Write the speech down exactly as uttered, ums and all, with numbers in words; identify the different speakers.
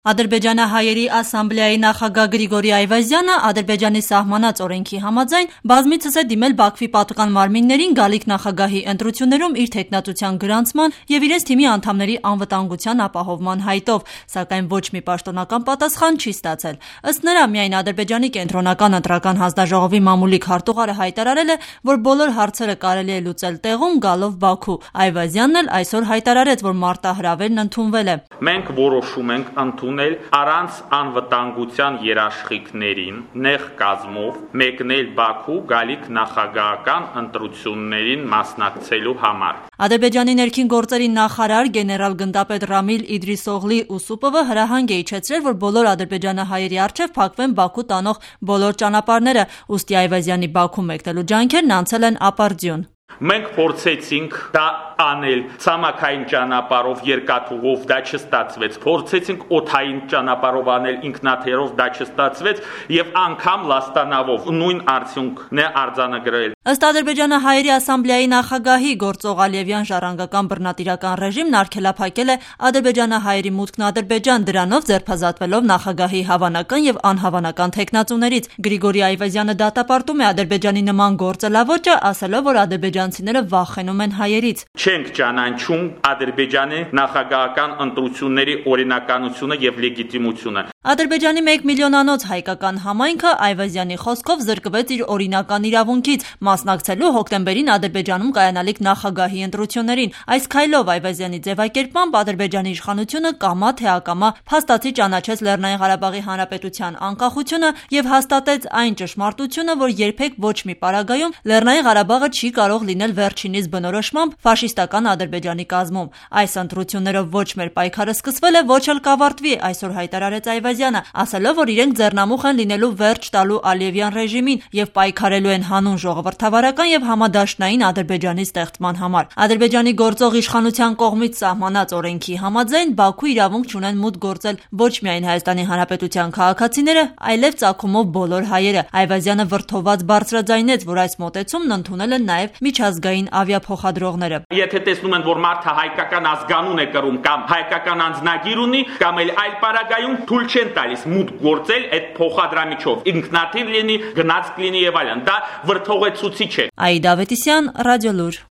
Speaker 1: Ադրբեջանահայերի ասամբլեայի նախագահ Գրիգորի Այվազյանը Ադրբեջանի սահմանած օրենքի համաձայն բազմիցս է դիմել Բաքվի պատվական մարմիններին գալիք նախագահի ընտրություններում իր թեկնածության գրանցման և իրենց թիմի անդամների անվտանգության ապահովման հայտով, սակայն ոչ մի պաշտոնական պատասխան չի ստացել։ Ըստ նրա, միայն Ադրբեջանի կենտրոնական ընտրական հանձնաժողովի մամուլի քարտուղարը հայտարարել է, որ բոլոր հարցերը կարելի է լուծել տեղում գալով Բաքու։ Այվազյանն էլ այսօր հայտարարեց, որ մարտահրավերն ընդունվել է։
Speaker 2: Մենք որոշում ենք ընդունել առանց անվտանգության երաշխիքներին նեղ կազմով մեկնել Բաքու գալիք նախագահական ընտրություններին մասնակցելու համար։
Speaker 1: Ադրբեջանի ներքին գործերի նախարար գեներալ-գնդապետ Ռամիլ Իդրիսօղլի Ուսուպովը հրահանգ է իջեցրել, որ բոլոր ադրբեջանահայերի առջև փակվեն Բաքու տանող բոլոր ճանապարհները, ուստի Այվազյանի Բաքու մեկնելու ջանքերն անցել են ապարդյուն։
Speaker 2: Մենք փորձեցինք դա անել ցամաքային ճանապարհով, երկաթուղով, դա չստացվեց։ Փորձեցինք օդային ճանապարհով անել, ինքնաթիռով, դա չստացվեց, եւ անգամ լաստանավով նույն արդյունքն է արձանագրել։
Speaker 1: Ըստ Ադրբեջանահայերի ասամբլեայի նախագահի, գործող Ալիևյան ժառանգական բռնատիրական ռեժիմն արգելափակել է ադրբեջանահայերի մուտքն Ադրբեջան, դրանով ձերբազատվելով նախագահի հավանական եւ անհավանական թեկնածուներից։ Գրիգորի Այվազյանը դատապարտում է Ադրբեջանի նման գործելավոճը, ասելով, որ ադրբեջանցիները վախենում են հայերից։
Speaker 2: Չենք ճանաչում Ադրբեջանի նախագահական ընտրությունների օրինականությունը եւ լեգիտիմությունը։
Speaker 1: Ադրբեջանի մեկ միլիոնանոց հայկական համայնքը Այվազյանի խոսքով զրկվեց իր օրինական իրավունքից մասնակցելու հոկտեմբերին Ադրբեջանում կայանալիք նախագահի ընտրություններին։ Այս քայլով Այվազյանի ձևակերպմամբ Ադրբեջանի իշխանությունը կամա թե ակամա փաստացի ճանաչեց Լեռնային Ղարաբաղի Հանրապետության անկախությունը եւ հաստատեց այն ճշմարտությունը, որ երբեք ոչ մի պարագայում Լեռնային Ղարաբաղը չի կարող լինել վերջինիս բնորոշմամբ ֆաշիստական Ադրբեջանի կազմում։ Այս ընտրություններով ոչ մեր պայքարը սկսվել է, ոչ էլ կավարտվի, այսօր հայտարարեց Այվազյանը, ասելով, որ իրենք ձեռնամուխ են լինելու վերջ տալու Ալիևյան ռեժիմին եւ պայքարելու են հանուն ժողովրդավարական եւ համադաշնային Ադրբեջանի ստեղծման համար։ Ադրբեջանի գործող իշխանության կողմից սահմանած օրենքի համաձայն Բաքու իրավունք չունեն մուտք գործել ոչ միայն Հայաստանի Հանրապետության քաղաքացիները, այլև ծագումով բոլոր հայերը։ Այվազյանը վրդոված բարձրաձայնեց, որ այս մոտեցումն ընդունել են նաեւ միջազգային ավիափոխադրողները։
Speaker 2: Եթե տեսնում են, որ մարդը հայկական ազգանուն է կրում կամ հայկական անձնագիր ունի, կամ էլ այլ պարագայում թույլ չեն տալիս մուտք գործել այդ փոխադրամիջով, ինքնաթիռ լինի, գնացք լինի եւ այլն։ Դա վրդովեցուցիչ է։
Speaker 1: Աիդա Ավետիսյան, Ռադիոլուր։